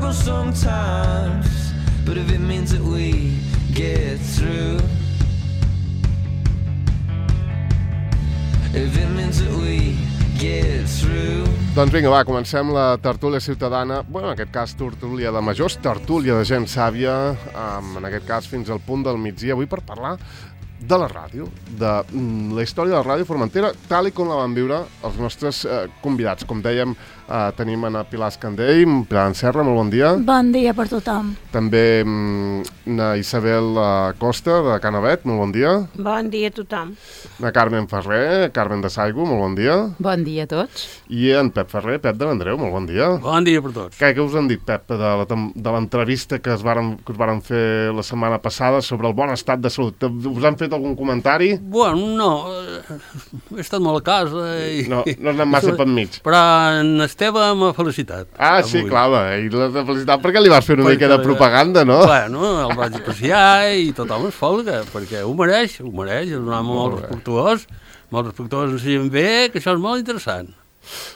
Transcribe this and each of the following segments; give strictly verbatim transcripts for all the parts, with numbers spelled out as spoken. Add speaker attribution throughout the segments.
Speaker 1: struggle sometimes, but if it means that we get through, if it means that we get through.
Speaker 2: Doncs vinga, va, comencem la tertúlia ciutadana, bueno, en aquest cas tertúlia de majors, tertúlia de gent sàvia, um, en aquest cas fins al punt del migdia, avui per parlar de la ràdio, de mm, la història de la ràdio Formentera, tal i com la van viure els nostres eh, convidats. Com dèiem, eh, tenim a Pilar Escandell, Pilar Serra, molt bon dia.
Speaker 3: Bon dia per tothom.
Speaker 2: També mm, na Isabel Costa, de Canavet, molt bon dia.
Speaker 4: Bon dia a tothom.
Speaker 2: Na Carmen Ferrer, Carmen de Saigo, molt bon dia.
Speaker 5: Bon dia a tots.
Speaker 2: I en Pep Ferrer, Pep de l'Andreu, molt bon dia.
Speaker 6: Bon dia per tots.
Speaker 2: Què, què us han dit, Pep, de, la, de l'entrevista que, es varen, que us varen fer la setmana passada sobre el bon estat de salut? Us han fet algun comentari?
Speaker 6: Bueno, no, he estat molt a casa i...
Speaker 2: No, no has anat massa per mig.
Speaker 6: Però en Esteve m'ha felicitat.
Speaker 2: Ah, avui. Sí, clar, i l'has de felicitar perquè li vas fer una perquè, mica de propaganda, no?
Speaker 6: Bueno, el vaig apreciar i tothom es folga, perquè ho mereix, ho mereix, és un home molt, molt respectuós, molt respectuós, ens siguin bé, que això és molt interessant.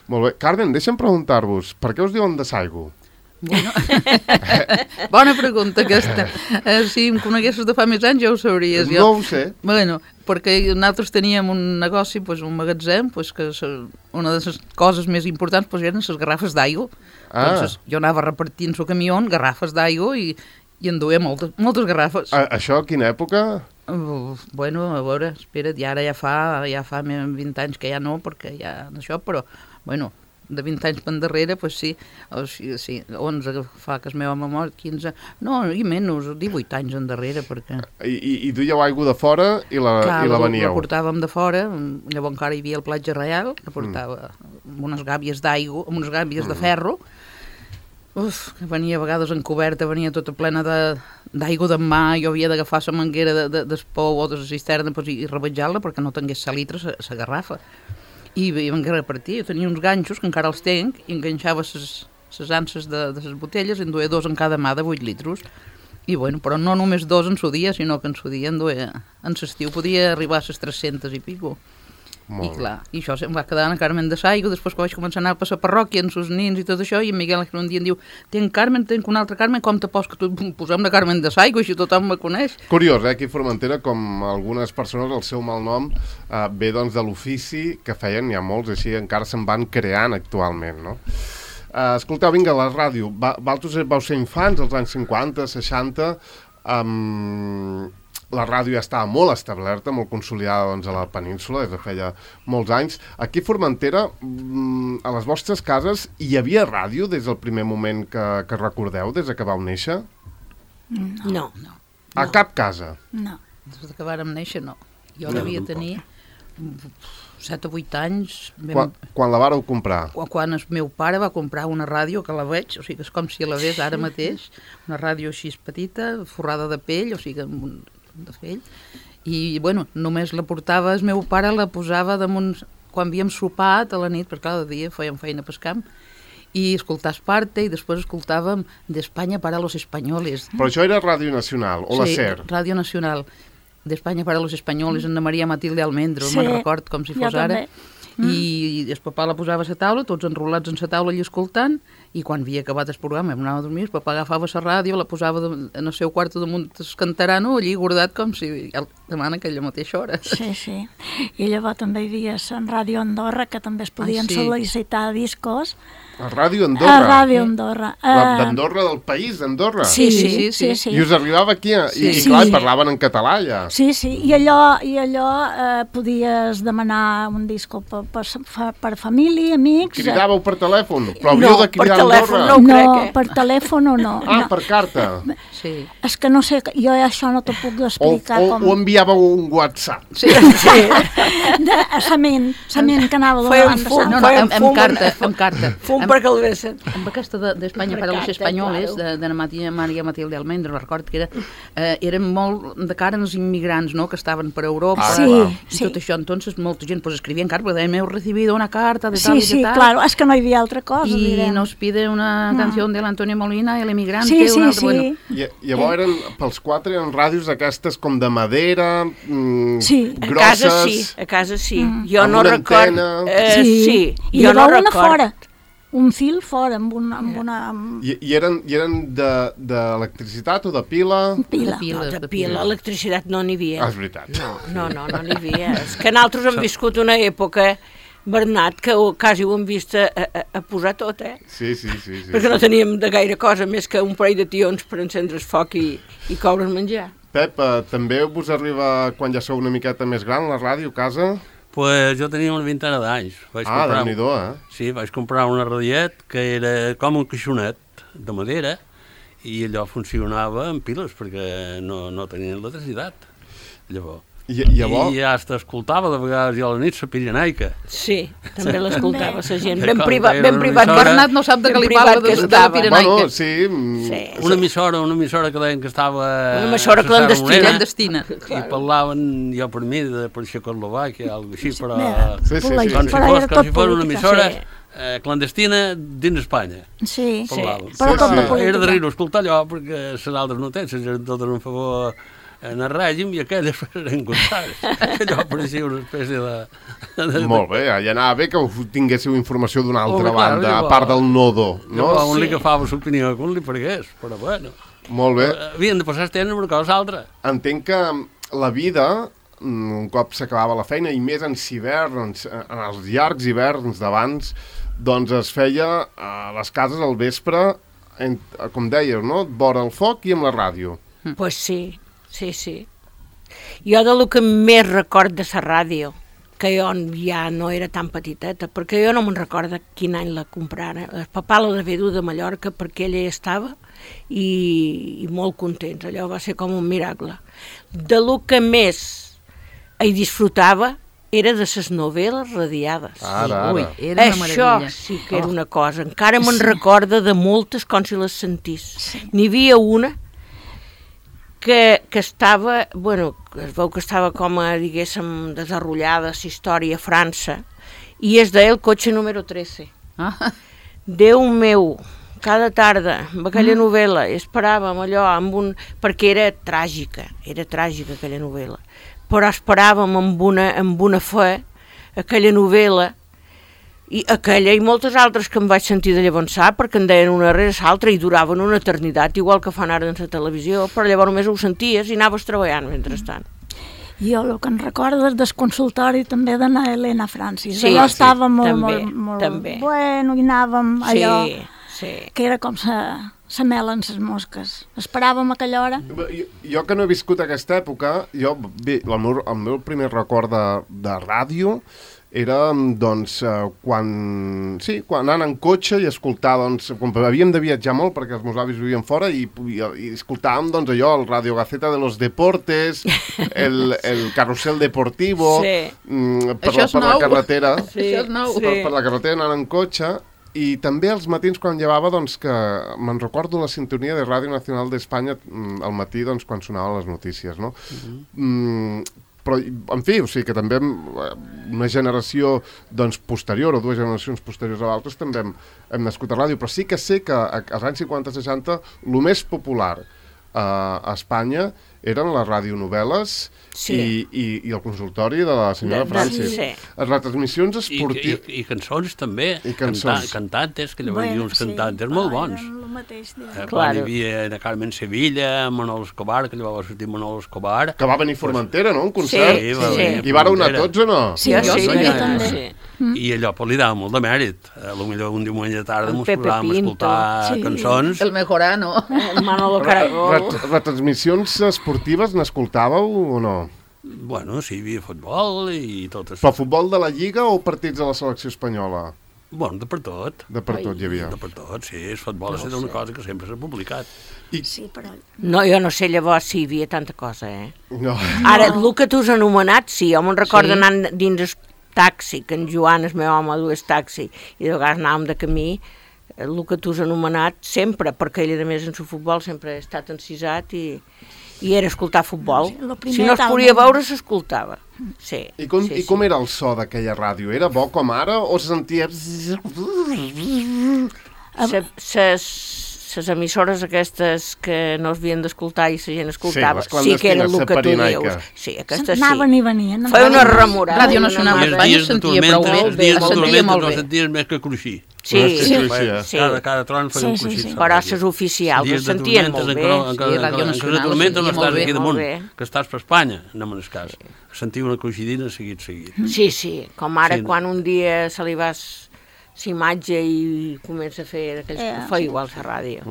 Speaker 2: Molt bé. Carmen, deixa'm preguntar-vos, per què us diuen de Saigo?
Speaker 5: Bueno, bona pregunta aquesta. Eh, si em coneguessis de fa més anys ja ho sabries.
Speaker 2: No ho sé.
Speaker 5: Bueno, perquè nosaltres teníem un negoci, pues, un magatzem, pues, que una de les coses més importants pues, eren les garrafes d'aigua.
Speaker 2: Ah.
Speaker 5: Entonces, jo anava repartint el camió garrafes d'aigua i, i en duia moltes, moltes garrafes.
Speaker 2: A, això a quina època?
Speaker 5: Uh, bueno, a veure, espera't, i ara ja fa, ja fa vint anys que ja no, perquè ja això, però, bueno... de vint anys per darrere, doncs sí, o sigui, sí, onze fa que es meva memòria, quinze, no, i menys, divuit anys en darrere, perquè...
Speaker 2: I, i, i duieu aigua de fora i la,
Speaker 5: Clar,
Speaker 2: i la veníeu?
Speaker 5: la portàvem de fora, llavors encara hi havia el platja reial, que portava mm. unes gàbies d'aigua, amb unes gàbies mm. de ferro, uf, que venia a vegades encoberta, venia tota plena d'aigua de, de mà, jo havia d'agafar la manguera de, de, d'espou o de la cisterna pues, i, i rebatjar-la perquè no tingués salitre la garrafa. I vam repartir, jo tenia uns ganxos, que encara els tenc, i enganxava les anses de, de les botelles, en duia dos en cada mà de vuit litros. I bueno, però no només dos en su dia, sinó que en su dia en duia, en l'estiu podia arribar a les tres-centes i pico. Molt I clar, i això em va quedar en Carmen de Saigo, després que vaig començar a anar per la parròquia amb els nins i tot això, i en Miguel un dia em diu, tenc Carmen, tenc una altra Carmen, com te pots que tu posem la Carmen de Saigo, així tothom me coneix.
Speaker 2: Curiós, eh, aquí a Formentera, com algunes persones, el seu malnom eh, ve doncs de l'ofici que feien, hi ha molts, així encara se'n van creant actualment, no? Eh, escolteu, vinga, la ràdio, va, vosaltres vau ser infants, als anys cinquanta, seixanta, amb... la ràdio ja estava molt establerta, molt consolidada doncs, a la península, des de feia molts anys. Aquí a Formentera, a les vostres cases, hi havia ràdio des del primer moment que, que recordeu, des que vau néixer?
Speaker 4: No. no.
Speaker 2: A
Speaker 5: no.
Speaker 2: cap casa?
Speaker 5: No. Des que vàrem néixer, no. Jo no, devia tenir set o vuit anys. Vam...
Speaker 2: Quan, quan la vàreu comprar?
Speaker 5: Quan, quan el meu pare va comprar una ràdio, que la veig, o sigui, és com si la ves ara mateix, una ràdio així petita, forrada de pell, o sigui, amb un... de fell, i bueno, només la portava, el meu pare la posava damunt, quan havíem sopat a la nit, perquè cada dia fèiem feina pel camp, i escoltar Esparte, i després escoltàvem d'Espanya para los españoles.
Speaker 2: Però això era Ràdio Nacional, o la
Speaker 5: sí,
Speaker 2: SER?
Speaker 5: Sí, Ràdio Nacional, d'Espanya para los españoles, Anna Maria Matilde Almendro, sí, me'n record com si fos ara. Mm. I el papà la posava a la taula, tots enrolats en la taula i escoltant, i quan havia acabat el programa em anava a dormir, el papà agafava la ràdio, la posava de, en el seu quarto damunt el cantarano, allí guardat com si demana aquella mateixa hora.
Speaker 3: Sí, sí. I llavors també hi havia en Ràdio Andorra, que també es podien ah, sí. sol·licitar discos.
Speaker 2: A Ràdio Andorra?
Speaker 3: A Ràdio Andorra.
Speaker 2: D'Andorra, del país d'Andorra?
Speaker 3: Sí, sí, sí, sí, sí.
Speaker 2: I us arribava aquí, sí. i, i clar, sí. parlaven en català ja.
Speaker 3: Sí, sí, i allò, i allò eh, podies demanar un disco per, per, per família, amics...
Speaker 2: Cridàveu per telèfon? Però havíeu
Speaker 3: no,
Speaker 2: de cridar a Andorra?
Speaker 3: No, no eh? per telèfon o no.
Speaker 2: Ah,
Speaker 3: no.
Speaker 2: per carta?
Speaker 5: Sí.
Speaker 3: És que no sé, jo això no t'ho puc explicar.
Speaker 2: O, o,
Speaker 3: com...
Speaker 2: o enviàveu un WhatsApp?
Speaker 3: Sí, sí. De, a sa ment, sa ment que anava de
Speaker 4: la banda.
Speaker 5: No, no, amb, amb carta, amb carta.
Speaker 4: Fum per calvessen.
Speaker 5: Amb aquesta d'Espanya de, per a los espanyoles, claro. de, de Maria, Maria Matilde Almendro, record que era, eh, eren molt de cara als immigrants, no?, que estaven per Europa,
Speaker 3: ah, sí,
Speaker 5: i
Speaker 3: sí.
Speaker 5: tot això, entonces molta gent pues, escrivia en carta, perquè heu recibido una carta de
Speaker 3: sí,
Speaker 5: tal i
Speaker 3: sí,
Speaker 5: de tal.
Speaker 3: Sí, claro, és que no hi havia altra cosa.
Speaker 5: I
Speaker 3: direm.
Speaker 5: nos pide una
Speaker 3: no.
Speaker 5: canció de l'Antonio Molina, el emigrante,
Speaker 3: sí, sí,
Speaker 5: una altra,
Speaker 3: sí.
Speaker 5: bueno.
Speaker 2: I, llavors eren, pels quatre, eren ràdios aquestes com de madera, mm,
Speaker 3: sí.
Speaker 2: grosses...
Speaker 4: A casa sí, a casa sí.
Speaker 3: Mm.
Speaker 4: Jo no record...
Speaker 2: Antena...
Speaker 4: Eh,
Speaker 3: sí,
Speaker 4: sí.
Speaker 3: I
Speaker 4: jo no
Speaker 3: una
Speaker 4: record.
Speaker 3: fora. un fil fora, amb una... Amb una amb...
Speaker 2: I, i eren, i eren d'electricitat de, o de pila?
Speaker 3: Pila.
Speaker 5: De pila.
Speaker 4: No, de pila, electricitat no n'hi havia.
Speaker 2: Ah, és veritat.
Speaker 4: No, no, no, no n'hi havia. És que nosaltres hem viscut una època, Bernat, que ho, quasi ho hem vist a, a, a posar tot, eh?
Speaker 2: Sí, sí, sí. sí.
Speaker 4: Perquè no teníem de gaire cosa més que un parell de tions per encendre el foc i, i coure's menjar.
Speaker 2: Pep, eh, també vos arriba, quan ja sou una miqueta més gran, la ràdio a casa?
Speaker 6: Pues jo tenia una vintena d'anys.
Speaker 2: Ah, déu-n'hi-do, eh?
Speaker 6: Sí, vaig comprar una radiet que era com un caixonet de madera i allò funcionava amb piles perquè no, no tenia electricitat. Llavors.
Speaker 2: I, llavors...
Speaker 6: I ja t'escoltava de vegades jo a la nit la Pirenaica.
Speaker 4: Sí, també l'escoltava la gent. Ben
Speaker 6: Com
Speaker 4: privat,
Speaker 6: que era
Speaker 4: ben
Speaker 6: una
Speaker 4: privat.
Speaker 6: emissora-
Speaker 5: Bernat no sap de què li parla de, de la Pirenaica.
Speaker 2: Bueno, sí... mm,
Speaker 4: Sí.
Speaker 6: Una emissora, una emissora que deien que estava...
Speaker 4: Una emissora
Speaker 6: a la Serra
Speaker 4: clandestina.
Speaker 6: Morena,
Speaker 5: Clandestina.
Speaker 6: I parlaven, jo per mi, de per Txecoslovàquia, alguna així, però...
Speaker 2: Sí, sí, sí.
Speaker 6: Com si
Speaker 3: Però
Speaker 6: fos,
Speaker 3: era
Speaker 6: com
Speaker 3: tot
Speaker 6: si fos una
Speaker 3: política.
Speaker 6: emissora
Speaker 4: Sí.
Speaker 6: eh, clandestina dins Espanya.
Speaker 3: Sí,
Speaker 6: Parlaven.
Speaker 3: però
Speaker 2: Sí,
Speaker 3: tot
Speaker 2: sí.
Speaker 3: de política.
Speaker 6: Era de riure escoltar allò, perquè les altres notícies eren totes en favor en el règim i aquelles eren contràries. Allò pareixia una espècie de... de...
Speaker 2: Molt bé, ja anava bé que us tinguéssiu informació d'una altra
Speaker 6: Home, clar,
Speaker 2: banda, a
Speaker 6: llavors-
Speaker 2: part del nodo, no?
Speaker 6: Llavors, un li agafava l'opinió que un li paregués, però bueno.
Speaker 2: Molt bé.
Speaker 6: Havien de passar el temps amb una cosa altra.
Speaker 2: Entenc que la vida, mm, un cop s'acabava la feina, i més en hiverns, en els llargs hiverns d'abans, doncs es feia a les cases al vespre, en, com dèieu, no? Vora el foc i amb la ràdio.
Speaker 4: Doncs pues sí, sí, sí. Jo de lo que més record de la ràdio, que jo ja no era tan petiteta, perquè jo no me'n recordo quin any la comprara. El papà la devia dur de Mallorca perquè ella hi estava i, i molt contents. Allò va ser com un miracle. De lo que més hi disfrutava era de les novel·les radiades.
Speaker 2: Ara, ara.
Speaker 5: Ui, era una
Speaker 4: Això
Speaker 5: meravella.
Speaker 4: sí que era una cosa. Encara me'n recorda de moltes com si les sentís. N'hi havia una que, que estava, bueno, es veu que estava com a, diguéssim, desarrollada la història a França, i es deia El cotxe número tretze.
Speaker 5: Ah,
Speaker 4: Déu meu, cada tarda, amb aquella novel·la, esperàvem allò, amb un... perquè era tràgica, era tràgica aquella novel·la, però esperàvem amb una, amb una fe aquella novel·la, i aquella i moltes altres que em vaig sentir de llavonsar, perquè en deien una rere l'altra i duraven una eternitat, igual que fan ara en la televisió, però llavors només ho senties i anaves treballant mentrestant.
Speaker 3: Jo el que em recordo és del consultori també d'anar a Helena Francis.
Speaker 4: Sí,
Speaker 3: allò
Speaker 4: sí,
Speaker 3: estava molt,
Speaker 4: també,
Speaker 3: molt, molt
Speaker 4: també.
Speaker 3: bueno i anàvem allò
Speaker 4: Sí, sí.
Speaker 3: que era com sa, sa mel en ses mosques. Esperàvem a aquella hora.
Speaker 2: Jo, jo que no he viscut aquesta època, jo, bé, el meu, el meu primer record de, de ràdio era, doncs, eh, quan, sí, quan anant en cotxe i escoltar, doncs, com havíem de viatjar molt perquè els meus avis vivien fora i, i, i escoltàvem, doncs, allò, el Radio Gaceta de los Deportes, el, el Carrusel Deportivo,
Speaker 4: Sí.
Speaker 2: mm, per,
Speaker 5: Això
Speaker 2: la,
Speaker 5: és
Speaker 2: per la
Speaker 5: nou.
Speaker 2: carretera,
Speaker 5: sí. Això és nou.
Speaker 2: per, per la carretera anant en cotxe, i també als matins quan llevava, doncs, que me'n recordo la sintonia de Ràdio Nacional d'Espanya mm, al matí, doncs, quan sonaven les notícies, no? Uh-huh. mm, però, en fi, o sigui que també una generació, doncs, posterior, o dues generacions posteriors a l'altres, també hem, hem nascut a ràdio, però sí que sé que als anys cinquanta seixanta el més popular eh, a Espanya eren les radionovel·les
Speaker 4: Sí.
Speaker 2: i, i, i el consultori de la senyora
Speaker 4: De- de-
Speaker 2: Francis.
Speaker 4: sí.
Speaker 2: Les retransmissions
Speaker 6: I, i,
Speaker 2: esportives...
Speaker 6: i cançons també.
Speaker 2: I cançons.
Speaker 6: Canta, cantantes, que llavors hi havia uns cantantes molt bons.
Speaker 3: El mateix dia.
Speaker 6: Eh,
Speaker 4: Claro.
Speaker 6: Quan hi havia la Carmen Sevilla, Manolo Escobar, que llavors va sortir Manolo Escobar.
Speaker 2: Que va venir a Formentera, no?, un concert.
Speaker 6: Sí, va
Speaker 4: sí.
Speaker 6: venir a
Speaker 2: I vàreu anar
Speaker 6: Formentera.
Speaker 2: tots o no?
Speaker 3: Sí,
Speaker 4: jo
Speaker 3: jo
Speaker 4: sí,
Speaker 3: sí,
Speaker 4: jo
Speaker 3: també.
Speaker 4: sí.
Speaker 6: I allò pues, li dava molt de mèrit. A lo millor un diumenge de tarda
Speaker 4: En
Speaker 6: ens
Speaker 4: Pepe
Speaker 6: posàvem a
Speaker 4: Pinto.
Speaker 6: escoltar
Speaker 3: Sí.
Speaker 6: cançons.
Speaker 5: El Mejorano.
Speaker 4: El Manolo Caragol.
Speaker 2: Ret retransmissions esportives n'escoltàveu o no?
Speaker 6: Bueno, sí, hi havia futbol i tot això.
Speaker 2: Però futbol de la Lliga o partits de la selecció espanyola?
Speaker 6: Bueno, de per tot.
Speaker 2: De per tot hi havia.
Speaker 6: De per tot, sí. El futbol ha estat una cosa que sempre s'ha publicat.
Speaker 3: Sí, però...
Speaker 4: No, jo no sé llavors si hi havia tanta cosa, eh?
Speaker 2: No.
Speaker 4: Ara, el que tu has anomenat, sí, jo me'n recordo
Speaker 5: Sí.
Speaker 4: anant dins el taxi, que en Joan, el meu home, dues taxi, i de vegades anàvem de camí, el que tu has anomenat sempre, perquè ell, a més, en el futbol sempre ha estat encisat i, i era escoltar futbol.
Speaker 3: Sí, lo primer
Speaker 4: Si no es
Speaker 3: tal,
Speaker 4: podia
Speaker 3: no?
Speaker 4: veure, s'escoltava. Sí,
Speaker 2: I com,
Speaker 4: sí,
Speaker 2: I com era el so d'aquella ràdio? Era bo com ara o se sentia...
Speaker 4: Se, ses, les emissores aquestes que no es havien d'escoltar i la gent escoltava,
Speaker 2: Sí, les
Speaker 4: sí que era el
Speaker 2: clandestines,
Speaker 4: que tu
Speaker 2: saparinaica.
Speaker 4: dius. Sí, aquestes sí.
Speaker 3: Anaven i venien.
Speaker 4: Feia una remorada.
Speaker 5: Ràdio Nacional
Speaker 6: I els
Speaker 5: d'Espanya
Speaker 6: dies
Speaker 5: es
Speaker 6: de
Speaker 5: sentia
Speaker 6: tormenta,
Speaker 5: prou bé,
Speaker 6: els dies
Speaker 5: es
Speaker 6: de
Speaker 5: sentia
Speaker 6: tormenta
Speaker 5: molt
Speaker 6: no
Speaker 5: bé.
Speaker 6: senties més que cruixir.
Speaker 4: Sí,
Speaker 2: Sí,
Speaker 4: sí,
Speaker 2: cruixia.
Speaker 4: sí.
Speaker 6: Cada, cada tron feia un
Speaker 5: Sí,
Speaker 6: cruixir.
Speaker 5: sí, sí.
Speaker 4: Però les oficials es sentien molt bé.
Speaker 5: Sí, Ràdio Nacional
Speaker 6: de tormenta no
Speaker 5: sentia molt
Speaker 6: estàs
Speaker 5: bé,
Speaker 6: aquí
Speaker 4: molt
Speaker 6: damunt,
Speaker 4: bé.
Speaker 6: que estàs per Espanya, anem en el cas. Sentiu una cruixidina seguit, seguit.
Speaker 4: Sí, sí, com ara
Speaker 6: Sí.
Speaker 4: quan un dia se li vas s'imatge i comença a fer aquells
Speaker 3: Eh,
Speaker 4: que fa igual a la ràdio.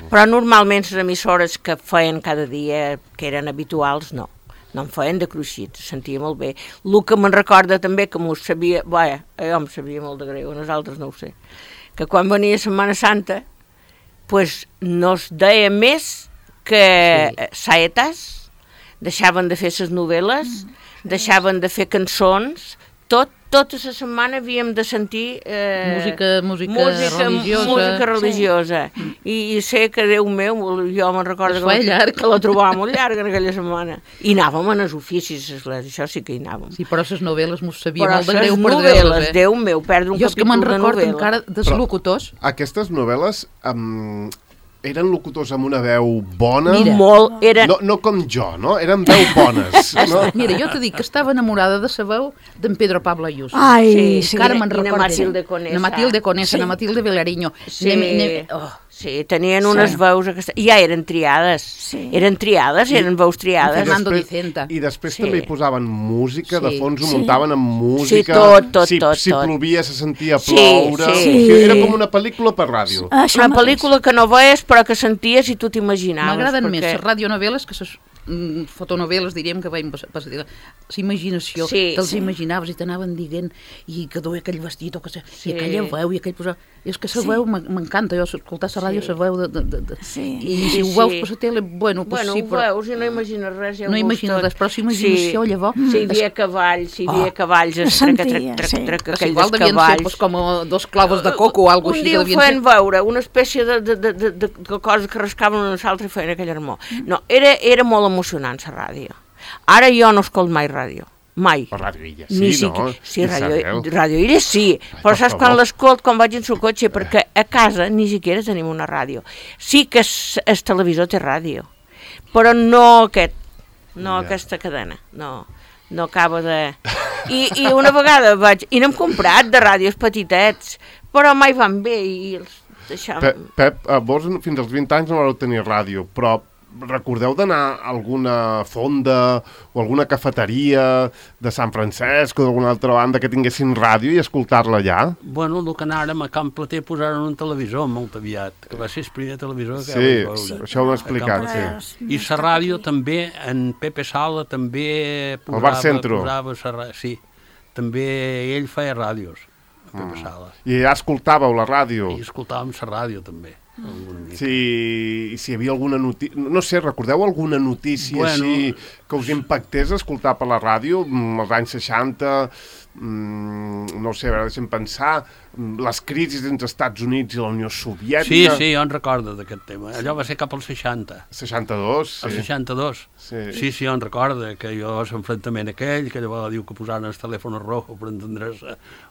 Speaker 4: Però normalment les emissores que feien cada dia, que eren habituals, no. No em feien de cruixit, sentia molt bé. El que me'n recorda també, que m'ho sabia, vaja, jo em sabia molt de greu, nosaltres no ho sé, que quan venia Setmana Santa, pues no es deia més que sí. saetes, deixaven de fer les novel·les, deixaven de fer cançons, tot, tota la setmana havíem de sentir eh,
Speaker 5: Música- música religiosa.
Speaker 4: música religiosa. Sí. I, I sé que, Déu meu, jo me'n recordo
Speaker 5: Es
Speaker 4: que,
Speaker 5: feia
Speaker 4: la-
Speaker 5: llarg.
Speaker 4: que la trobava molt llarga en aquella setmana. I anàvem en els oficis, l'església, això sí que hi anàvem.
Speaker 5: Sí, però les novel·les m'ho sabia
Speaker 4: Però
Speaker 5: molt de
Speaker 4: les
Speaker 5: greu
Speaker 4: novel·les,
Speaker 5: perdre-les, eh?
Speaker 4: Déu meu, perdre un
Speaker 5: Jo és que
Speaker 4: capítol
Speaker 5: me'n
Speaker 4: de
Speaker 5: recordo
Speaker 4: novel·la.
Speaker 5: encara dels
Speaker 2: Però-
Speaker 5: locutors.
Speaker 2: Aquestes novel·les um, eren locutors amb una veu bona?
Speaker 5: Mira.
Speaker 4: Molt, era...
Speaker 2: No, no com jo, no? Eren veu bones. No?
Speaker 5: Mira, jo t'he dit que estava enamorada de la veu d'en Pedro Pablo Ayuso.
Speaker 3: Ai,
Speaker 4: Sí,
Speaker 3: sí.
Speaker 5: Encara
Speaker 4: i
Speaker 5: me'n
Speaker 4: na
Speaker 5: recordo.
Speaker 4: Matilde Conesa.
Speaker 5: Na Matilde Conesa,
Speaker 3: Sí.
Speaker 5: na Matilde Vilariño.
Speaker 4: Sí,
Speaker 5: Ne, ne, oh.
Speaker 4: sí, tenien unes
Speaker 5: Sí.
Speaker 4: veus aquestes... Ja eren triades.
Speaker 3: Sí.
Speaker 4: Eren triades, eren veus triades.
Speaker 5: Fernando
Speaker 2: després-
Speaker 5: Dicenta.
Speaker 2: I després
Speaker 4: Sí.
Speaker 2: també hi posaven música, de
Speaker 5: Sí.
Speaker 2: fons ho
Speaker 3: Sí.
Speaker 2: muntaven amb música.
Speaker 4: tot, tot,
Speaker 2: si,
Speaker 4: tot,
Speaker 2: Si
Speaker 4: tot.
Speaker 2: plovia se sentia
Speaker 4: Sí,
Speaker 2: ploure.
Speaker 4: sí.
Speaker 2: O sigui, era com una pel·lícula per ràdio.
Speaker 3: Això
Speaker 4: Una
Speaker 3: mateix.
Speaker 4: pel·lícula que no veies però que senties i tu t'imaginaves.
Speaker 5: M'agraden
Speaker 4: perquè...
Speaker 5: més les radionovel·les que les mm, fotonovel·les, diríem, que veiem passar. La imaginació,
Speaker 4: Sí,
Speaker 5: te'ls
Speaker 4: sí.
Speaker 5: imaginaves i t'anaven dient i que duia aquell vestit o que sé,
Speaker 4: Sí.
Speaker 5: i aquella veu i aquell posar... I és que la
Speaker 3: Sí.
Speaker 5: veu m'en- m'encanta, jo escoltar la ràdio,
Speaker 4: Sí.
Speaker 5: la veu de... de, de, de.
Speaker 3: Sí.
Speaker 5: I
Speaker 4: Sí,
Speaker 5: si ho
Speaker 4: sí.
Speaker 5: veus per la tele, bueno, pues
Speaker 4: Bueno,
Speaker 5: sí,
Speaker 4: ho
Speaker 5: però...
Speaker 4: veus i no imagines res. Ja ho
Speaker 5: No
Speaker 4: veus
Speaker 5: imagines
Speaker 4: tot.
Speaker 5: res, però si imaginació,
Speaker 4: sí.
Speaker 5: llavors-
Speaker 4: Si hi havia cavalls, si hi havia
Speaker 5: Oh.
Speaker 4: cavalls, es
Speaker 3: Es
Speaker 4: trac, trac,
Speaker 3: sentia,
Speaker 4: trac,
Speaker 3: sí.
Speaker 4: trac,
Speaker 5: Que
Speaker 4: aquell
Speaker 5: igual
Speaker 4: dels
Speaker 5: devien ser
Speaker 4: cavalls.
Speaker 5: pues, com dos clavos de coco o alguna
Speaker 4: Un
Speaker 5: així.
Speaker 4: dia
Speaker 5: que
Speaker 4: ho
Speaker 5: devien
Speaker 4: feien
Speaker 5: ser.
Speaker 4: veure, una espècie de, de, de, de, de, de coses que rascaven una altra i feien aquell armó. No, era, era molt emocionant, la ràdio. Ara jo no escolto mai ràdio. Mai.
Speaker 2: Per Ràdio Illa,
Speaker 4: Ni
Speaker 2: sí,
Speaker 4: si-
Speaker 2: no?
Speaker 4: Sí,
Speaker 2: I
Speaker 4: ràdio,
Speaker 2: sabeu.
Speaker 4: ràdio Illa sí,
Speaker 2: Ai,
Speaker 4: però
Speaker 2: per
Speaker 4: saps quan
Speaker 2: favor.
Speaker 4: l'escolt, quan vaig en el cotxe, perquè a casa ni siquiera tenim una ràdio. Sí que es, el televisor té ràdio, però no aquest, no
Speaker 2: Ja.
Speaker 4: aquesta cadena, no, no acaba de... I, I una vegada vaig... I n'hem comprat de ràdios petitets, però mai van bé i els deixàvem...
Speaker 2: Pep, Pep, eh, vos fins als vint anys no vareu tenir ràdio, però recordeu d'anar a alguna fonda o alguna cafeteria de Sant Francesc o d'alguna altra banda que tinguessin ràdio i escoltar-la allà?
Speaker 6: Bueno, el que anàrem a Camp Plater posaren un televisor molt aviat, que va ser el primer televisor que
Speaker 2: Sí,
Speaker 6: vaig veure.
Speaker 2: sí, això ho hem explicat,
Speaker 6: A Camp
Speaker 2: sí.
Speaker 6: Plater. I la ràdio també, en Pepe Sala també posava...
Speaker 2: Bar Centro.
Speaker 6: Posava sa ra- sí, també ell feia ràdios, a Pepe Sala.
Speaker 2: I ja escoltàveu la ràdio?
Speaker 6: I escoltàvem la ràdio també, alguna mica.
Speaker 2: Si, si hi havia alguna notícia... No sé, recordeu alguna notícia
Speaker 6: Bueno.
Speaker 2: així que us impactés escoltar per la ràdio mm, als anys seixanta? Mm, no sé, a veure, deixem pensar, mm, les crisis entre Estats Units i la Unió
Speaker 6: Sí,
Speaker 2: Soviètica...
Speaker 6: sí, jo en recordo d'aquest tema. Allò va ser cap als seixanta.
Speaker 2: seixanta-dos,
Speaker 6: El
Speaker 2: sí.
Speaker 6: seixanta-dos.
Speaker 2: Sí.
Speaker 6: Sí, sí, jo en recordo que jo l'enfrontament aquell, que llavors diu que posaren el telèfon rojo per entendre's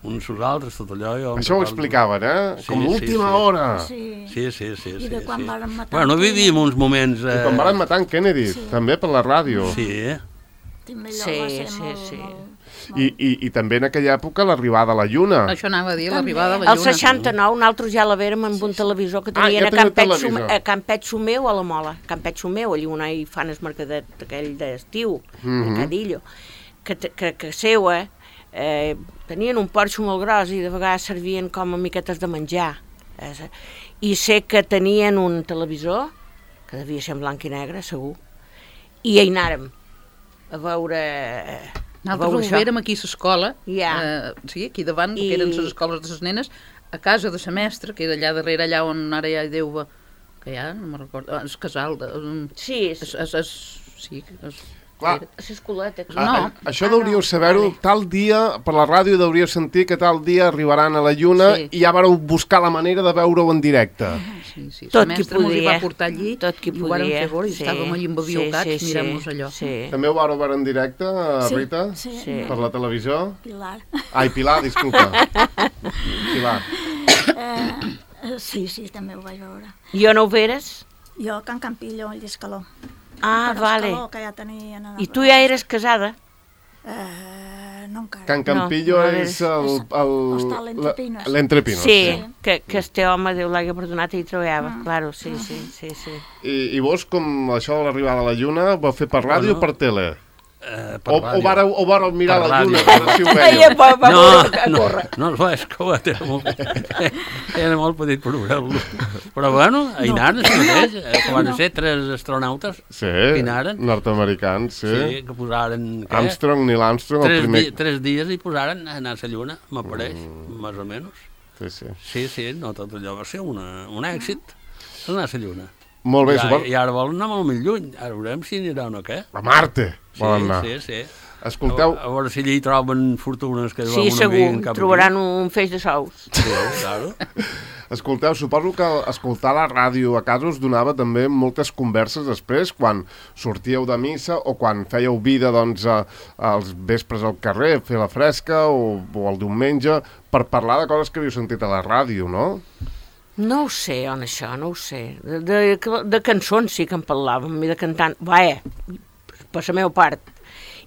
Speaker 6: uns als altres, tot allò. Jo en
Speaker 2: Això ho
Speaker 6: recordo.
Speaker 2: explicaven, eh?
Speaker 6: Sí,
Speaker 2: Com
Speaker 6: sí,
Speaker 2: última
Speaker 6: sí.
Speaker 2: hora.
Speaker 3: Sí.
Speaker 6: Sí, sí, sí.
Speaker 3: I
Speaker 6: sí,
Speaker 3: de quan
Speaker 6: sí.
Speaker 3: varen matar
Speaker 6: Bueno,
Speaker 3: en
Speaker 6: vivíem uns moments...
Speaker 2: I
Speaker 6: Eh...
Speaker 2: quan van matar en Kennedy, també per la ràdio.
Speaker 6: Sí, eh?
Speaker 3: També allò
Speaker 4: Sí,
Speaker 3: va ser
Speaker 4: sí,
Speaker 3: molt,
Speaker 4: sí.
Speaker 3: molt,
Speaker 2: I, i, I també en aquella època l'arribada a la Lluna.
Speaker 5: Això anava a dir, l'arribada a la
Speaker 4: El
Speaker 5: lluna.
Speaker 4: seixanta-nou nosaltres ja la vèrem amb un televisor que
Speaker 2: Ah,
Speaker 4: tenien
Speaker 2: ja
Speaker 4: a,
Speaker 2: teniu
Speaker 4: Campet
Speaker 2: televisor.
Speaker 4: Xume, a Campet Xumeu a la Mola. Campet Xumeu, allà on hi fan el mercadet aquell d'estiu,
Speaker 2: Mhm.
Speaker 4: Mercadillo, que, te- que, que seua, eh, tenien un porxo molt gros i de vegades servien com a miquetes de menjar. Eh, I sé que tenien un televisor, que devia ser en blanc i negre, segur, i hi anàrem a veure... eh, a
Speaker 5: Nosaltres
Speaker 4: veure
Speaker 5: ho
Speaker 4: això.
Speaker 5: vérem aquí a l'escola,
Speaker 4: Ja.
Speaker 5: eh, sí, aquí davant,
Speaker 4: I-
Speaker 5: que eren les escoles de les nenes, a casa de la mestra, que era allà darrere, allà on ara ja hi deu... Que ja, no me'n recordo, ah, el casal, de, um,
Speaker 4: Sí,
Speaker 5: es, es, es, sí, es,
Speaker 2: Clar.
Speaker 5: era-
Speaker 4: a l'escoleta. que-
Speaker 5: No.
Speaker 2: Ah, ah, això
Speaker 4: Ah,
Speaker 2: deuríeu
Speaker 4: no.
Speaker 2: saber-ho,
Speaker 4: Vale.
Speaker 2: tal dia, per la ràdio deuríeu sentir que tal dia arribaran a la Lluna
Speaker 5: Sí.
Speaker 2: i ja vareu buscar la manera de veure-ho en directe.
Speaker 5: sí, sí.
Speaker 4: Tot
Speaker 5: la
Speaker 4: qui
Speaker 5: mestra mos hi va
Speaker 4: podia.
Speaker 5: portar allí
Speaker 4: Tot qui
Speaker 5: i ho vàrem
Speaker 4: podia,
Speaker 5: fer veure i
Speaker 4: sí.
Speaker 5: estàvem allà embabiocats
Speaker 4: Sí, sí,
Speaker 5: mirant-nos
Speaker 4: sí,
Speaker 5: allò.
Speaker 4: Sí.
Speaker 2: També ho vareu veure en directe,
Speaker 3: Sí,
Speaker 2: Rita?
Speaker 3: sí.
Speaker 4: Sí.
Speaker 2: Per la televisió?
Speaker 3: Pilar.
Speaker 2: Ai, Pilar, disculpa. Pilar.
Speaker 3: Eh, Eh, sí, sí, també ho vaig veure.
Speaker 4: I on ho veres?
Speaker 3: Jo, a Can Campillo, al Lliscaló.
Speaker 4: Ah,
Speaker 3: Per
Speaker 4: vale.
Speaker 3: Escaló, que ja tenien... a-
Speaker 4: I tu ja eres casada?
Speaker 3: Eh, no encara.
Speaker 2: Can Campillo
Speaker 4: No, no
Speaker 2: és el... el
Speaker 3: Hostal L'Entrepinos.
Speaker 2: la- L'Entrepinos,
Speaker 4: Sí,
Speaker 3: sí.
Speaker 4: que, que este home, Déu l'hagi perdonat, hi treballava,
Speaker 3: Ah.
Speaker 4: claro, sí, sí, sí, sí.
Speaker 2: I, I vos, com això de l'arribada a la lluna, ho vau fer per ràdio
Speaker 6: Bueno.
Speaker 2: o per tele?
Speaker 6: Eh, per
Speaker 2: O, o,
Speaker 6: ràdio.
Speaker 2: vareu, o vareu mirar
Speaker 6: Per
Speaker 2: la lluna,
Speaker 6: ràdio.
Speaker 2: a veure si ho
Speaker 4: Ai,
Speaker 2: veieu?
Speaker 4: va, va,
Speaker 6: No,
Speaker 4: va,
Speaker 6: no,
Speaker 4: corre.
Speaker 6: no el vaig escoltar, era molt, era molt petit per veure-lo. Però bueno, hi anaren, no. mateix, eh, que van ser tres astronautes
Speaker 2: Sí,
Speaker 6: que hi anaren.
Speaker 2: nord-americans, sí.
Speaker 6: Sí, que posaren... Què?
Speaker 2: Armstrong, Neil Armstrong, el
Speaker 6: tres,
Speaker 2: primer...
Speaker 6: di tres dies i posaren a anar a la lluna, m'apareix, mm. més o menys.
Speaker 2: Sí, sí.
Speaker 6: Sí, sí, no, tot allò va ser una, un èxit, anar a la lluna.
Speaker 2: Molt bé,
Speaker 6: I,
Speaker 2: suport...
Speaker 6: I ara volen anar molt més lluny, ara veurem si anirà o no, què?
Speaker 2: A Marte volen anar.
Speaker 6: Sí, sí, sí.
Speaker 2: Escolteu,
Speaker 6: A, a veure si allà hi troben fortunes que
Speaker 4: Sí, segur, trobaran un feix de sous.
Speaker 6: Sí, claro.
Speaker 2: escolteu, suposo que escoltar la ràdio a casa us donava també moltes converses després, quan sortíeu de missa o quan fèieu vida, doncs, a, als vespres al carrer, fer la fresca o, o el diumenge, per parlar de coses que havíeu sentit a la ràdio, no?
Speaker 4: No ho sé, on això, no ho sé. De, de, de cançons sí que en parlàvem, i de cantant, vaja, per la meva part.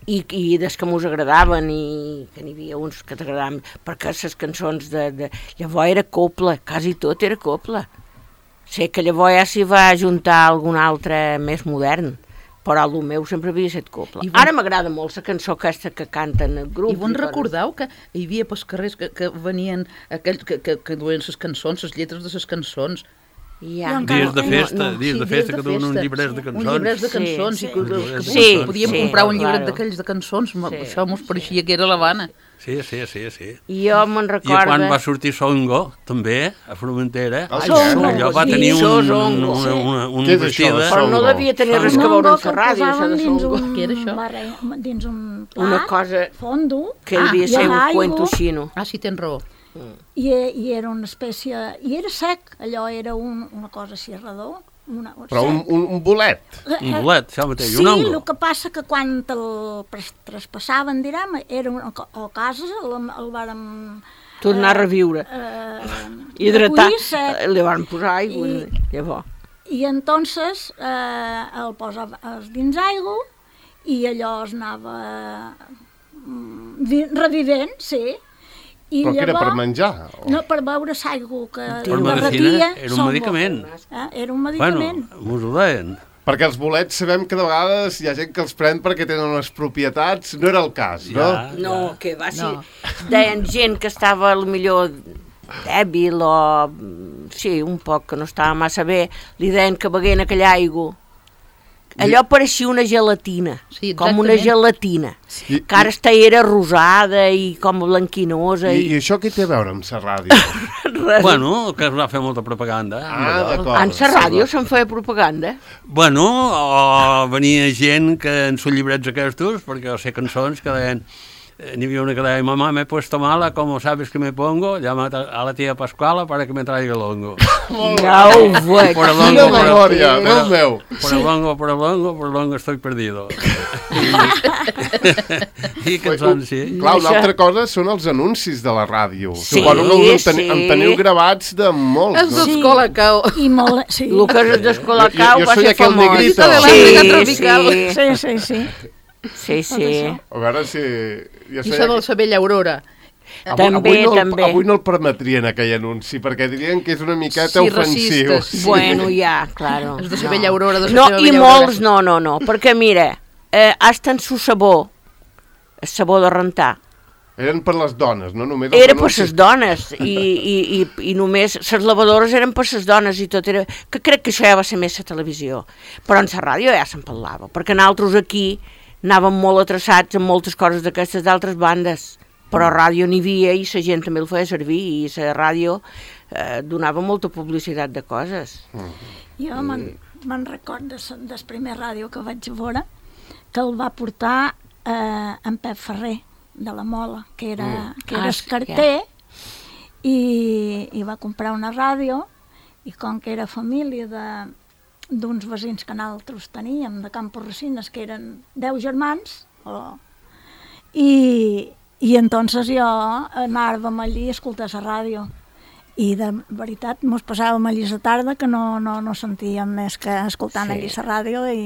Speaker 4: I, i des que mos agradaven, i que n'hi havia uns que t'agradaven, perquè les cançons de, de... Llavors era copla, quasi tot era copla. Sé que llavors ja s'hi va ajuntar algun altre més modern, però el meu sempre havia estat copla.
Speaker 5: I bon...
Speaker 4: Ara m'agrada molt la cançó aquesta que canten el grup.
Speaker 5: I vos recordeu que hi havia pels carrers que, que venien aquells que, que, que duien les cançons, les lletres de les cançons.
Speaker 4: Ja.
Speaker 3: Jo encara-
Speaker 6: Dies de festa,
Speaker 4: No, no.
Speaker 6: dies de
Speaker 5: Sí,
Speaker 6: festa
Speaker 5: dies
Speaker 6: que
Speaker 5: de
Speaker 6: duen uns
Speaker 5: festa,
Speaker 6: llibrets
Speaker 3: sí.
Speaker 6: de
Speaker 5: Un
Speaker 6: cançons.
Speaker 5: llibret de
Speaker 4: Sí,
Speaker 5: cançons,
Speaker 3: sí.
Speaker 5: i que, que
Speaker 6: Sí,
Speaker 5: podíem
Speaker 4: sí,
Speaker 5: comprar un llibret
Speaker 4: claro.
Speaker 5: d'aquells de cançons,
Speaker 4: Sí.
Speaker 5: això mos pareixia que era l'Havana.
Speaker 6: Sí, sí, sí, sí.
Speaker 4: I jo me'n
Speaker 6: I
Speaker 4: recordo...
Speaker 6: quan va sortir Songo, també, a Formentera,
Speaker 2: Ah, sí?
Speaker 4: Songo,
Speaker 6: allò va
Speaker 4: sí,
Speaker 6: tenir un,
Speaker 4: Songo,
Speaker 6: una,
Speaker 4: sí.
Speaker 6: una, un
Speaker 2: Què és això,
Speaker 6: vestit de...
Speaker 4: Però no
Speaker 2: Songo?
Speaker 4: devia tenir res que
Speaker 3: No,
Speaker 4: veure
Speaker 3: no,
Speaker 4: amb
Speaker 3: que
Speaker 4: la ràdio, això
Speaker 3: posaven
Speaker 4: de
Speaker 3: dins
Speaker 4: Songo.
Speaker 3: un,
Speaker 5: Què era això?
Speaker 3: barre, dins un plat,
Speaker 4: Una cosa
Speaker 3: fondo,
Speaker 4: que devia
Speaker 3: i
Speaker 4: ser
Speaker 3: amb
Speaker 4: un
Speaker 3: aigua,
Speaker 4: cuento xino.
Speaker 5: Ah, sí, tens raó.
Speaker 3: i, i era una espècie... I era sec, allò era un, una cosa així redó. Una,
Speaker 2: Però un, un, un bolet.
Speaker 6: Un bolet, això mateix,
Speaker 3: Sí,
Speaker 6: un ongo.
Speaker 3: el que passa que quan el pres- traspassaven, direm, era una, co- a casa el, el vàrem...
Speaker 4: Tornar a reviure.
Speaker 3: Eh,
Speaker 4: Hidratar.
Speaker 3: recollir sec.
Speaker 4: Eh, Li van posar aigua,
Speaker 3: I-
Speaker 4: llavors.
Speaker 3: I entonces eh, el posava dins aigua i allò es anava mm, vi- revivent, sí. I
Speaker 2: Però que era per menjar? O...
Speaker 3: No, per beure l'aigua que
Speaker 6: Per
Speaker 3: derretia.
Speaker 6: medicina, era un
Speaker 3: Songo.
Speaker 6: medicament.
Speaker 3: Eh? Era un
Speaker 6: Bueno,
Speaker 3: medicament.
Speaker 6: mos ho deien.
Speaker 2: Perquè els bolets sabem que de vegades hi ha gent que els pren perquè tenen unes propietats. No era el cas, no?
Speaker 6: Ja.
Speaker 4: No, que va ser...
Speaker 5: No.
Speaker 4: Deien gent que estava millor dèbil o... Sí, un poc, que no estava massa bé. Li deien que beguent aquella aigua. Allò pareixia una gelatina,
Speaker 5: Sí,
Speaker 4: com una
Speaker 5: exactament.
Speaker 4: gelatina.
Speaker 2: I-
Speaker 4: Que ara està era rosada i com blanquinosa.
Speaker 2: I,
Speaker 4: I,
Speaker 2: I això què té a veure amb la ràdio?
Speaker 4: res.
Speaker 6: Bueno, que es va fer molta propaganda.
Speaker 2: Ah,
Speaker 6: amb allò.
Speaker 2: d'acord.
Speaker 4: En la ràdio se'n feia propaganda.
Speaker 6: Bueno, o venia gent que en sus llibrets aquestos, perquè o sé cançons que deien, eh, n'hi havia una que deia, mamá, me he puesto mala, como sabes que me pongo, llama a la tía Pascuala para que me traiga el hongo.
Speaker 4: Ja ho veig.
Speaker 6: Por el
Speaker 2: Quina
Speaker 6: hongo, por el-
Speaker 2: memòria,
Speaker 6: por
Speaker 2: Déu
Speaker 6: el-
Speaker 2: meu.
Speaker 6: Por el hongo, por el hongo, por el hongo estoy perdido. I, I cançons, sí.
Speaker 2: Clar, una
Speaker 4: Això-
Speaker 2: altra cosa són els anuncis de la ràdio.
Speaker 4: Sí,
Speaker 2: Suposo que us en, teni
Speaker 4: sí.
Speaker 2: en teniu gravats de molts,
Speaker 5: És
Speaker 2: no?
Speaker 5: d'escola, cau.
Speaker 3: I molt... Sí,
Speaker 4: El que és d'Escolacau
Speaker 2: Jo- jo
Speaker 4: va
Speaker 2: soy
Speaker 4: ser
Speaker 2: aquel
Speaker 4: famós.
Speaker 2: negrito.
Speaker 5: De la música tropical.
Speaker 4: Sí,
Speaker 3: sí, sí, sí.
Speaker 4: sí, sí.
Speaker 3: això.
Speaker 2: A veure si... Jo
Speaker 5: I
Speaker 2: sé
Speaker 5: això de la Sabella Aurora.
Speaker 2: Avui,
Speaker 4: També,
Speaker 2: avui, no, el-
Speaker 4: també.
Speaker 2: avui no el permetrien aquell anunci, perquè dirien que és una miqueta
Speaker 5: Sí,
Speaker 2: ofensiu.
Speaker 5: racistes.
Speaker 4: Bueno, ja, claro.
Speaker 5: És de Sabella Aurora, de
Speaker 4: No,
Speaker 5: Sabella
Speaker 4: i
Speaker 5: Aurora.
Speaker 4: molts no, no, no, perquè mira, eh, hasta en su sabó, el sabó de rentar,
Speaker 2: Eren per les dones, no només els
Speaker 4: era per
Speaker 2: anuncis.
Speaker 4: les dones, i, i, i, i només les lavadores eren per les dones, i tot era... Que crec que això ja va ser més la televisió, però en la ràdio ja se'n parlava, perquè nosaltres aquí anàvem molt atreçats amb moltes coses d'aquestes d'altres bandes, però ràdio n'hi havia i la gent també el feia servir, i la ràdio eh, donava molta publicitat de coses.
Speaker 3: Jo me'n me'n record de, sa- del primer ràdio que vaig veure, que el va portar eh, en Pep Ferrer, de la Mola, que era, que
Speaker 4: Ah,
Speaker 3: era
Speaker 4: sí,
Speaker 3: escarter, i, i va comprar una ràdio, i com que era família de d'uns veïns que nosaltres teníem, de Campo Resines, que eren deu germans, o, i, i entonces jo anàvem allí a escoltar la ràdio. I de veritat, mos passàvem allí a la tarda que no, no, no sentíem més que escoltant
Speaker 4: Sí.
Speaker 3: allí la ràdio i...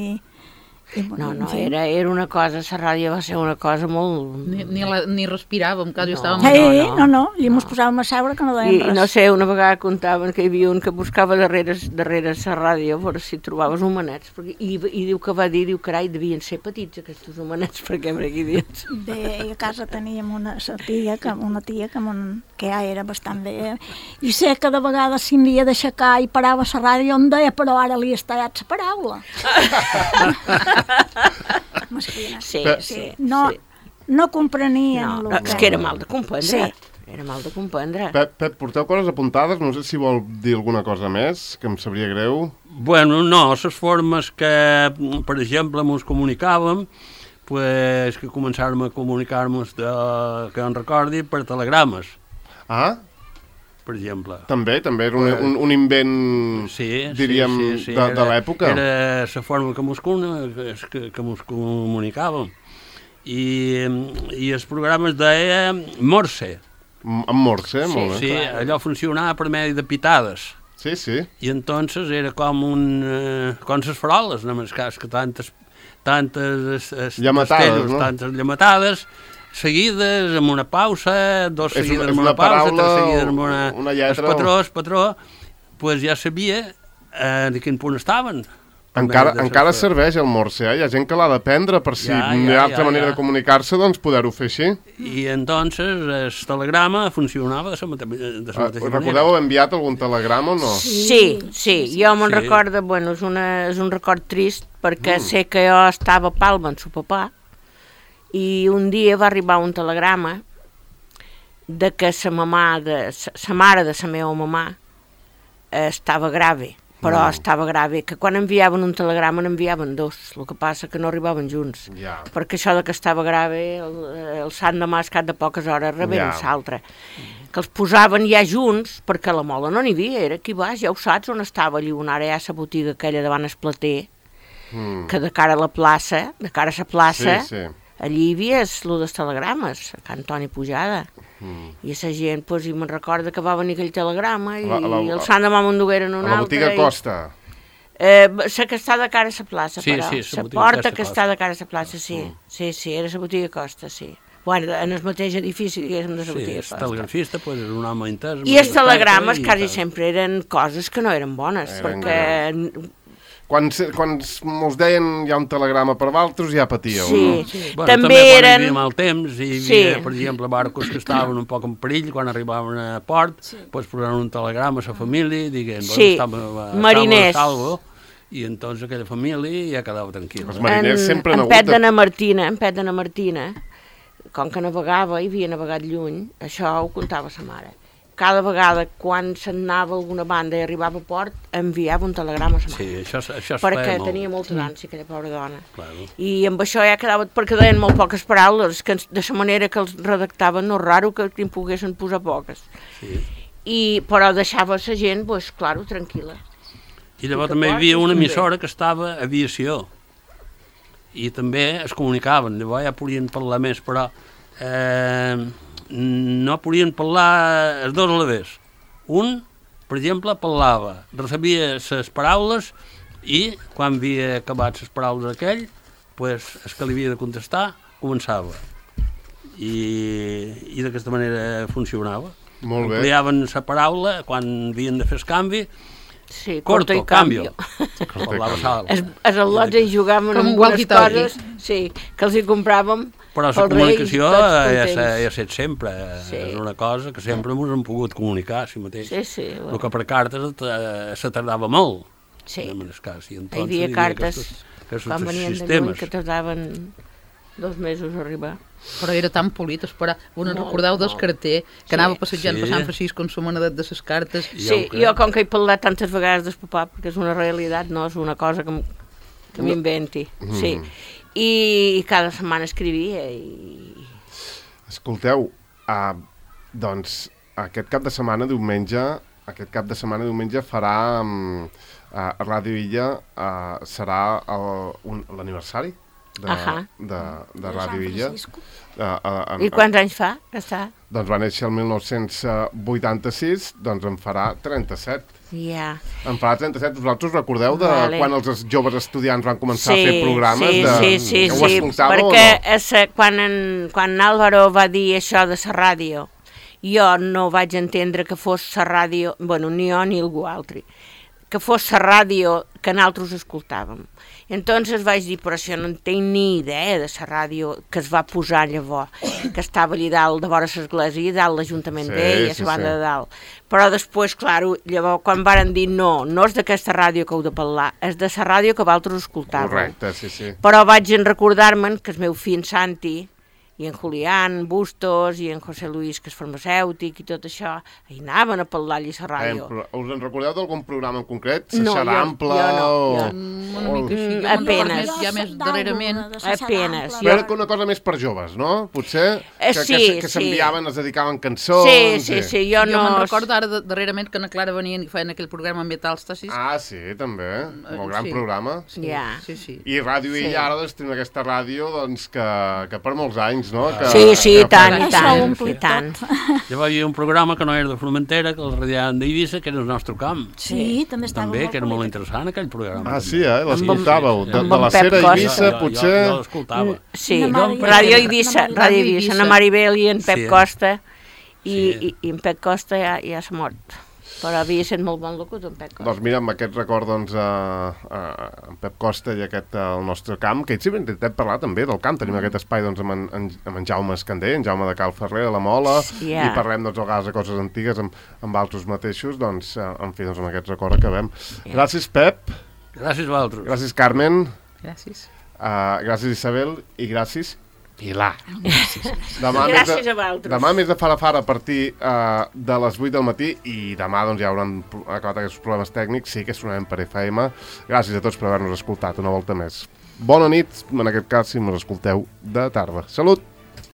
Speaker 3: i
Speaker 4: No,
Speaker 3: en
Speaker 4: no,
Speaker 3: fi.
Speaker 4: era, era una cosa, la ràdio va ser una cosa molt...
Speaker 5: Ni, ni, la, ni respiràvem, quasi
Speaker 4: No.
Speaker 5: estàvem...
Speaker 3: Sí,
Speaker 4: no,
Speaker 3: no, no, allí mos posàvem a seure que no
Speaker 4: I,
Speaker 3: dèiem
Speaker 4: I
Speaker 3: res.
Speaker 4: no sé, una vegada contaven que hi havia un que buscava darrere, darrere la ràdio per si trobaves humanets, perquè, i, i diu que va dir, diu, carai, devien ser petits aquests humanets, perquè per aquí dins.
Speaker 3: Bé, a casa teníem una sa tia, que, una tia que, mon, que ja era bastant bé, i sé que de vegades s'hi havia d'aixecar i parava la ràdio on deia, però ara li has tallat la paraula. Mesquina.
Speaker 4: Sí,
Speaker 2: Pe-
Speaker 4: sí,
Speaker 3: No,
Speaker 4: sí.
Speaker 3: no comprenien
Speaker 4: No,
Speaker 3: el
Speaker 4: és que era mal de comprendre.
Speaker 3: Sí.
Speaker 4: Era mal de comprendre.
Speaker 2: Pep, Pep, porteu coses apuntades? No sé si vol dir alguna cosa més, que em sabria greu.
Speaker 6: Bueno, no, les formes que, per exemple, ens comunicàvem, pues, que començàrem a comunicar-nos, de, que en recordi, per telegrames,
Speaker 2: Ah,
Speaker 6: per exemple.
Speaker 2: també, també era un, un, un invent,
Speaker 6: Sí,
Speaker 2: diríem,
Speaker 6: sí, sí, sí.
Speaker 2: de, de l'època.
Speaker 6: Era la forma que mos, que, que mos comunicàvem. I, i els programes deia Morse.
Speaker 2: M- En Morse,
Speaker 4: Sí,
Speaker 2: molt bé.
Speaker 6: Sí, allò funcionava per medi de pitades.
Speaker 2: Sí, sí.
Speaker 6: I entonces era com un... Eh, com les faroles, només cas que tantes... tantes es,
Speaker 2: Llamatades,
Speaker 6: destellos,
Speaker 2: no?
Speaker 6: tantes llamatades, seguides, amb una pausa, dos
Speaker 2: És
Speaker 6: seguides
Speaker 2: una- és
Speaker 6: amb
Speaker 2: una
Speaker 6: una pausa,
Speaker 2: paraula
Speaker 6: tres seguides amb
Speaker 2: o
Speaker 6: una...
Speaker 2: una lletra
Speaker 6: El patró,
Speaker 2: o-
Speaker 6: el patró, pues ja sabia eh, de quin punt estaven.
Speaker 2: Encara,
Speaker 6: De- de-
Speaker 2: encara
Speaker 6: de-
Speaker 2: serveix el Morse, eh? Hi ha gent que l'ha d'aprendre per si
Speaker 6: Ja,
Speaker 2: hi
Speaker 6: ja,
Speaker 2: ha altra
Speaker 6: ja,
Speaker 2: manera
Speaker 6: ja.
Speaker 2: de comunicar-se, doncs poder-ho fer així.
Speaker 6: I entonces el telegrama funcionava de la mate de la
Speaker 2: Ah,
Speaker 6: mateixa
Speaker 2: recordeu
Speaker 6: manera.
Speaker 2: haver enviat algun telegrama o no?
Speaker 4: Sí, sí, jo me'n
Speaker 6: Sí.
Speaker 4: recordo, bueno, és, una, és un record trist perquè mm. sé que jo estava a Palma amb el papà i un dia va arribar un telegrama de que sa mamà, de, sa, sa mare de la meva mamà eh, estava grave, però
Speaker 2: Mm.
Speaker 4: estava grave, que quan enviaven un telegrama n'enviaven dos, el que passa que no arribaven junts.
Speaker 2: Ja.
Speaker 4: Perquè això de que estava grave, el, el sant de mas cap de poques hores reberen
Speaker 2: Ja.
Speaker 4: l'altre. Que els posaven ja junts, perquè a la mola no n'hi havia, era aquí baix, ja ho saps on estava allí, on ara hi ha la botiga aquella davant el plater,
Speaker 2: Mm.
Speaker 4: que de cara a la plaça, de cara a la plaça,
Speaker 2: Sí, sí.
Speaker 4: allí hi havia el dels telegrames, a Can Toni Pujada.
Speaker 2: Mm.
Speaker 4: I la gent, doncs, i me'n recorda que va venir aquell telegrama i
Speaker 2: La- la-
Speaker 4: el Sant de Mama en dugueren un
Speaker 2: A la
Speaker 4: altre.
Speaker 2: botiga
Speaker 4: i-
Speaker 2: Costa.
Speaker 4: Eh, la que està de cara a la plaça,
Speaker 6: Sí,
Speaker 4: però.
Speaker 6: sí, la
Speaker 4: la
Speaker 6: botiga
Speaker 4: porta
Speaker 6: aquesta
Speaker 4: que
Speaker 6: Costa.
Speaker 4: està de cara a la plaça, sí. Sí, sí, era la botiga Costa, sí. Bueno, en el mateix edifici, diguéssim, de la
Speaker 6: Sí,
Speaker 4: botiga
Speaker 6: el
Speaker 4: Costa.
Speaker 6: telegrafista pues, era un home intens.
Speaker 4: I els
Speaker 6: molt
Speaker 4: telegrames
Speaker 6: respecte,
Speaker 4: quasi
Speaker 6: i tal.
Speaker 4: sempre eren coses que no eren bones,
Speaker 2: Eren
Speaker 4: perquè...
Speaker 2: Quan, se- quan mos deien hi ha un telegrama per vosaltres, ja patíeu,
Speaker 4: Sí,
Speaker 2: no?
Speaker 6: Bueno,
Speaker 4: també
Speaker 6: quan hi
Speaker 4: eren...
Speaker 6: havia mal temps, hi
Speaker 4: Sí.
Speaker 6: havia, per exemple, barcos que estaven un poc en perill, quan arribaven a port, sí. pues posaven un telegrama a la família i diguent,
Speaker 4: Sí,
Speaker 6: bueno, estava, estava
Speaker 4: mariners.
Speaker 6: a salvo, i entonces aquella família ja quedava tranquil·la.
Speaker 2: Els mariners
Speaker 4: en,
Speaker 2: sempre han
Speaker 4: en
Speaker 2: hagut
Speaker 4: Pet
Speaker 2: de-
Speaker 4: de na Martina, en Pet de na Martina, com que navegava i havia navegat lluny, això ho contava sa mare. Cada vegada quan se'n anava a alguna banda i arribava a port, enviava un telegrama a sa mare.
Speaker 6: Sí, això, això es
Speaker 4: perquè
Speaker 6: feia molt.
Speaker 4: tenia molta d'ànsia, aquella pobra dona.
Speaker 6: Claro.
Speaker 4: I amb això ja quedava, perquè deien molt poques paraules, que ens- de la manera que els redactaven no és raro que en poguessin posar poques.
Speaker 6: Sí.
Speaker 4: I, però deixava la gent, pues, claro, tranquil·la.
Speaker 6: I llavors
Speaker 4: que
Speaker 6: també hi
Speaker 4: portis
Speaker 6: havia una
Speaker 4: també.
Speaker 6: emissora que estava a aviació i també es comunicaven, llavors ja podien parlar més, però eh, no podien parlar els dos a la vegada. Un, per exemple, parlava, recebia les paraules i quan havia acabat les paraules aquell, pues, el que li havia de contestar començava. I, i d'aquesta manera funcionava.
Speaker 2: Molt bé.
Speaker 6: Ampliaven la paraula quan havien de fer el canvi,
Speaker 4: Sí,
Speaker 6: corto,
Speaker 4: i
Speaker 6: cambio.
Speaker 2: Corto i
Speaker 6: Parlava
Speaker 2: cambio.
Speaker 6: salt.
Speaker 4: Es, es al·lots hi jugaven
Speaker 5: Com
Speaker 4: amb
Speaker 5: un
Speaker 4: unes
Speaker 5: walkie-talkie.
Speaker 4: coses sí, que els hi compràvem
Speaker 6: Però la
Speaker 4: pels
Speaker 6: comunicació
Speaker 4: Reis, tots
Speaker 6: ja
Speaker 4: contents.
Speaker 6: s'ha ja set sempre.
Speaker 4: Sí.
Speaker 6: És una cosa que sempre ens hem pogut comunicar, si mateix.
Speaker 4: Sí, sí.
Speaker 6: El que per cartes eh, se tardava molt.
Speaker 4: Sí.
Speaker 6: En el cas. I
Speaker 4: Hi
Speaker 6: entonces,
Speaker 4: havia cartes
Speaker 6: aquestos, aquestos
Speaker 4: quan venien de lluny
Speaker 6: sistemes.
Speaker 4: que tardaven dos mesos a arribar.
Speaker 5: Però era tan polit esperar. Us no,
Speaker 4: Molt,
Speaker 5: recordeu del
Speaker 4: molt.
Speaker 5: carter que
Speaker 4: Sí.
Speaker 5: anava passejant
Speaker 6: Sí.
Speaker 5: per Sant Francisco amb la manedet de les cartes?
Speaker 6: Ja
Speaker 4: Sí,
Speaker 6: ho crec.
Speaker 4: jo com que he parlat tantes vegades del papà, perquè és una realitat, no és una cosa que, m- que m'inventi. Sí. I, I cada setmana escrivia i...
Speaker 2: Escolteu, uh, doncs aquest cap de setmana, diumenge, aquest cap de setmana, diumenge, farà um, uh, Ràdio Illa, uh, serà el- un- l'aniversari de,
Speaker 4: Ahà.
Speaker 2: de, de
Speaker 3: De
Speaker 2: Ràdio
Speaker 3: San
Speaker 2: Illa.
Speaker 3: Francisco.
Speaker 2: Uh, uh,
Speaker 4: I quants anys fa que està?
Speaker 2: Doncs va néixer el mil nou-cents vuitanta-sis, doncs en farà trenta-set.
Speaker 4: Ja.
Speaker 2: En farà trenta-set. Vosaltres recordeu de
Speaker 4: Vale.
Speaker 2: quan els joves estudiants van començar
Speaker 4: Sí,
Speaker 2: a fer programes?
Speaker 4: sí,
Speaker 2: de...
Speaker 4: sí, sí,
Speaker 2: Ho
Speaker 4: sí,
Speaker 2: escoltàveu
Speaker 4: perquè
Speaker 2: o no?
Speaker 4: essa, quan, en, quan Álvaro va dir això de la ràdio, jo no vaig entendre que fos la ràdio, bueno, ni jo ni algú altre, que fos la ràdio que nosaltres escoltàvem. Entonces vaig dir, però això no en tinc ni idea de la ràdio que es va posar llavors, que estava allà dalt, de vora l'església, i dalt l'Ajuntament
Speaker 2: Sí,
Speaker 4: d'ell, a
Speaker 2: sí,
Speaker 4: la banda
Speaker 2: sí.
Speaker 4: de dalt. Però després, clar, llavors quan varen dir no, no és d'aquesta ràdio que heu de parlar, és de la ràdio que vosaltres escoltàveu.
Speaker 2: Correcte, sí, sí.
Speaker 4: Però vaig en recordar-me'n que el meu fill en Santi, i en Julián Bustos, i en José Luis, que és farmacèutic, i tot això, hi anaven a parlar allà a la ràdio.
Speaker 2: Eh, us en recordeu d'algun programa en concret?
Speaker 4: No,
Speaker 2: Seixar
Speaker 4: jo-
Speaker 2: Ample
Speaker 4: jo no,
Speaker 2: o...
Speaker 4: jo
Speaker 5: Mm, una mica així.
Speaker 4: Mm,
Speaker 5: Jo me'n recordo
Speaker 4: apenes.
Speaker 5: més, ja més darrerament.
Speaker 4: Apenes,
Speaker 2: Jo crec que una cosa més per joves, no? Potser
Speaker 4: Eh,
Speaker 2: que,
Speaker 4: sí,
Speaker 2: que, que
Speaker 4: sí.
Speaker 2: s'enviaven, es dedicaven cançons...
Speaker 4: Sí, sí, sí, jo
Speaker 5: Jo
Speaker 4: no...
Speaker 5: me'n recordo ara de- darrerament que na Clara venien i feien aquell programa Metàlstasis.
Speaker 2: Ah, sí, també. Molt gran
Speaker 5: sí.
Speaker 2: programa.
Speaker 5: Sí,
Speaker 4: Ja.
Speaker 5: sí, sí.
Speaker 2: I Ràdio
Speaker 4: Sí.
Speaker 2: Illa ara doncs, tenim aquesta ràdio doncs, que, que per molts anys, no? Que,
Speaker 4: Sí, sí,
Speaker 2: que
Speaker 4: i tant, i
Speaker 3: Això
Speaker 4: tant,
Speaker 3: ho ompli
Speaker 4: i tant.
Speaker 6: Ja va haver un programa que no era de Formentera, que el radiaven d'Eivissa, que era el nostre camp.
Speaker 3: Sí, també estava
Speaker 6: També, que era molt
Speaker 3: polit.
Speaker 6: interessant aquell programa.
Speaker 2: Ah,
Speaker 6: també.
Speaker 2: sí, eh? L'escoltàveu.
Speaker 6: Sí, sí,
Speaker 2: De,
Speaker 6: sí.
Speaker 2: de la
Speaker 4: Amb en Pep
Speaker 2: Cera
Speaker 4: Costa.
Speaker 2: Eivissa,
Speaker 6: Jo-
Speaker 2: potser...
Speaker 6: Jo, jo l'escoltava.
Speaker 4: Sí,
Speaker 3: Na Mari-
Speaker 4: Ràdio
Speaker 3: na
Speaker 4: Eivissa,
Speaker 3: Mari-
Speaker 4: Ràdio Eivissa, na Maribel i en Pep
Speaker 6: Sí.
Speaker 4: Costa, i,
Speaker 6: Sí.
Speaker 4: i, i en Pep Costa ja, ja s'ha mort. Però havia estat molt bon locutor, en Pep Costa.
Speaker 2: Doncs mira, amb aquest record, doncs, a, a, en Pep Costa i aquest, el nostre camp, que ells sempre intentem parlar també del camp. Tenim aquest espai, doncs, amb en, en, amb en Jaume Escandell, en Jaume de Cal Ferrer, a la Mola,
Speaker 4: Ja.
Speaker 2: i parlem, doncs, a vegades de coses antigues amb, amb altres mateixos, doncs, eh, en fi, doncs, amb aquest record acabem. Gràcies, Pep.
Speaker 6: Gràcies a vosaltres.
Speaker 2: Gràcies, Carmen.
Speaker 5: Gràcies.
Speaker 2: Uh, gràcies, Isabel. I gràcies, Pilar. Demà
Speaker 4: Gràcies
Speaker 2: més de,
Speaker 4: a vosaltres.
Speaker 2: demà més de fara-fara a partir uh, de les vuit del matí, i demà doncs, ja hauran pro- acabat aquests problemes tècnics. Sí que sonarem per F M. Gràcies a tots per haver-nos escoltat una volta més. Bona nit, en aquest cas, si ens escolteu de tarda. Salut!